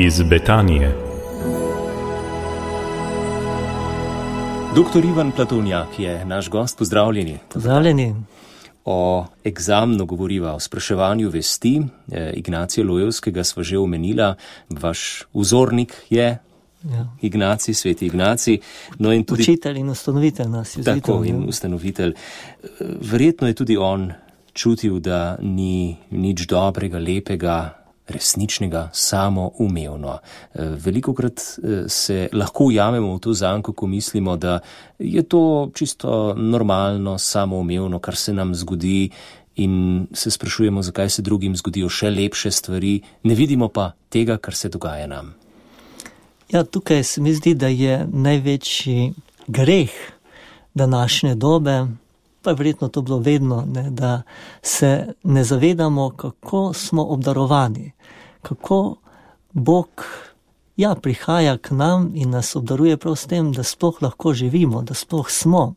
iz Betanije. Doktor Ivan Platovnjak je naš gost, pozdravljeni. Pozdravljeni. O egzamnu govoriva, o spraševanju vesti. Ignacija Lojevskega sva že omenila, vaš vzornik je Ignacij, sveti Ignacij. No in tudi učitelj in ustanovitelj nas je. Tako, in ustanovitelj. Verjetno je tudi on čutil, da ni nič dobrega, lepega, resničnega, samoumevno. Velikokrat se lahko ujamemo v to zanko, ko mislimo, da je to čisto normalno, samoumevno, kar se nam zgodi, in se sprašujemo, zakaj se drugim zgodijo še lepše stvari, ne vidimo pa tega, kar se dogaja nam. Ja, tukaj se mi zdi, da je največji greh današnje dobe, pa je verjetno to bilo vedno, da se ne zavedamo, kako smo obdarovani, kako Bog prihaja k nam in nas obdaruje prav s tem, da sploh lahko živimo, da sploh smo,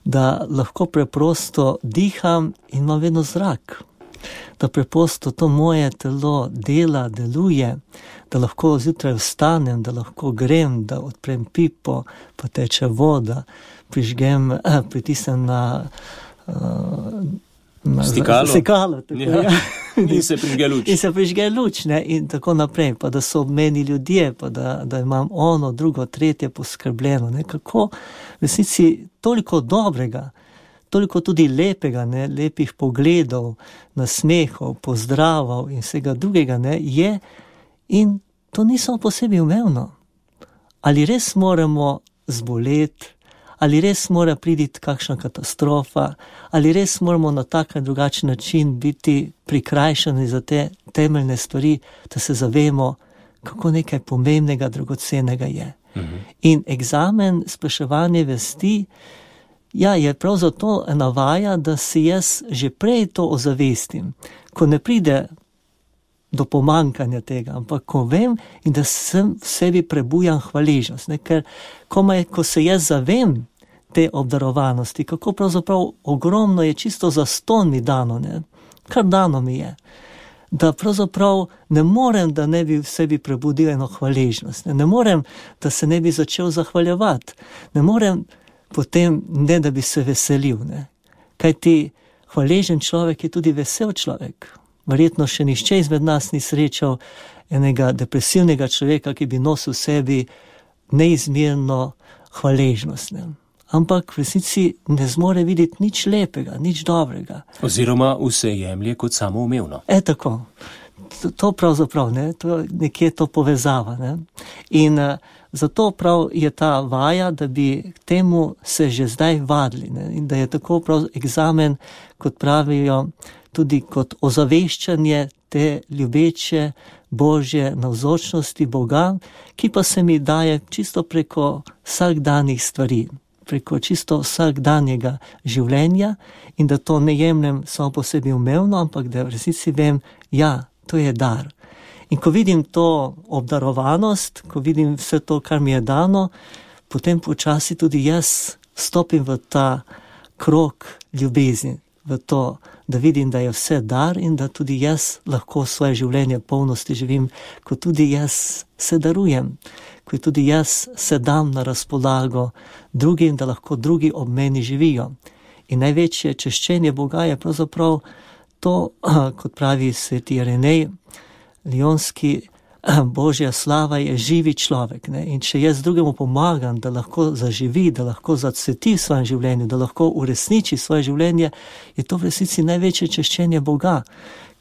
da lahko preprosto diham in imam vedno zrak, da preprosto to moje telo dela, deluje, da lahko zjutraj vstanem, da lahko grem, da odprem pipo, pa teče voda, pritisnem na stikalo, in se prižge luč. In se prižge luč, in tako naprej, pa da so ob meni ljudje, pa da imam ono, drugo, tretje poskrbljeno. Kako v resnici toliko dobrega, toliko tudi lepega, lepih pogledov, nasmehov, pozdravov in vsega drugega je, in to ni samo po sebi umevno. Ali res moramo zboleti, ali res mora priti kakšna katastrofa, ali res moramo na tak ali drugačen način biti prikrajšani za te temeljne stvari, da se zavemo, kako nekaj pomembnega, dragocenega je. In egzamen, spraševanje vesti, je prav zato ena vaja, da si jaz že prej to ozavestim, ko ne pride do pomankanja tega, ampak ko vem in da sem v sebi prebujam hvaležnost. Ker ko se jaz zavem te obdarovanosti, kako pravzaprav ogromno je čisto zastonj mi dano, kar dano mi je, da pravzaprav ne morem, da ne bi v sebi prebudil eno hvaležnost, ne morem, da se ne bi začel zahvaljevati, ne morem potem, ne da bi se veselil, kajti hvaležen človek je tudi vesel človek. Verjetno še nihče izmed nas ni srečal enega depresivnega človeka, ki bi nosil v sebi neizmerno hvaležnost. Ampak v resnici ne zmore videti nič lepega, nič dobrega. Oziroma vse jemlje kot samoumevno. Tako. To pravzaprav, to nekje to povezava. In zato prav je ta vaja, da bi k temu se že zdaj vadili. In da je tako prav egzamen, kot pravijo, tudi kot ozaveščanje te ljubeče Božje navzočnosti Boga, ki pa se mi daje čisto preko vsakdanjih stvari, preko čisto vsakdanjega življenja, in da to ne jemljem samo po sebi umevno, ampak da v resnici vem, to je dar. In ko vidim to obdarovanost, ko vidim vse to, kar mi je dano, potem počasi tudi jaz stopim v ta krog ljubezni, v to, da vidim, da je vse dar in da tudi jaz lahko svoje življenje polnosti živim, ko tudi jaz se darujem, ko tudi jaz se dam na razpolago drugim, da lahko drugi ob meni živijo. In največje češčenje Boga je pravzaprav to, kot pravi sveti Irenej Lionski, Božja slava je živi človek. In če jaz drugemu pomagam, da lahko zaživi, da lahko zacveti v svojem življenju, da lahko uresniči svoje življenje, je to v resnici največje češčenje Boga.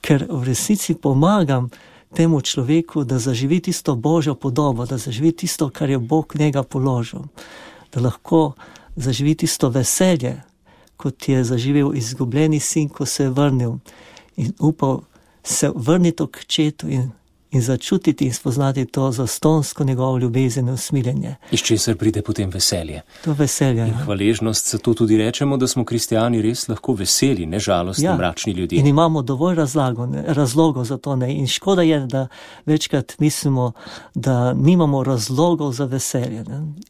Ker v resnici pomagam temu človeku, da zaživi tisto Božjo podobo, da zaživi tisto, kar je Bog njega položil. Da lahko zaživi tisto veselje, kot je zaživel izgubljeni sin, ko se je vrnil in upal se vrniti k očetu in začutiti in spoznati to zastonsko njegovo ljubezen in usmiljenje. Iz česar pride potem veselje. To veselje. In hvaležnost, zato tudi rečemo, da smo kristijani res lahko veseli, ne žalostni, mračni ljudje. In imamo dovolj razlogov za to. In škoda je, da večkrat mislimo, da nimamo razlogov za veselje.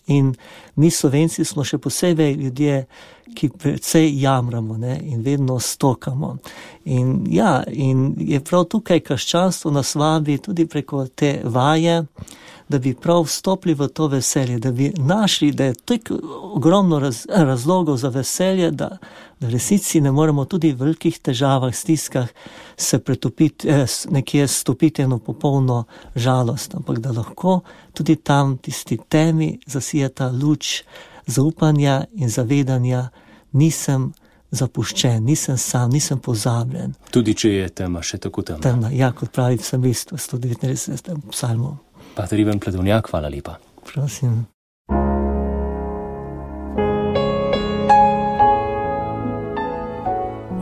In mi Slovenci smo še posebej ljudje, ki precej jamramo, ne, in vedno stokamo. In je prav tukaj krščanstvo nas vabi tudi preko te vaje, da bi prav vstopili v to veselje, da bi našli, da je tako ogromno razlogov za veselje, da v resnici ne moremo tudi v velikih težavah, stiskah se pretopiti, nekje stopiti eno popolno žalost, ampak da lahko tudi tam tisti temi zasije ta luč zaupanja in zavedanja, nisem zapuščen, nisem sam, nisem pozabljen. Tudi če je tema še tako temna. Temna, ja, kot pravi psalmist v 139. psalmu. Pater Ivan Pledovnjak, hvala lepa. Prosim.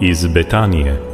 Iz Betanije.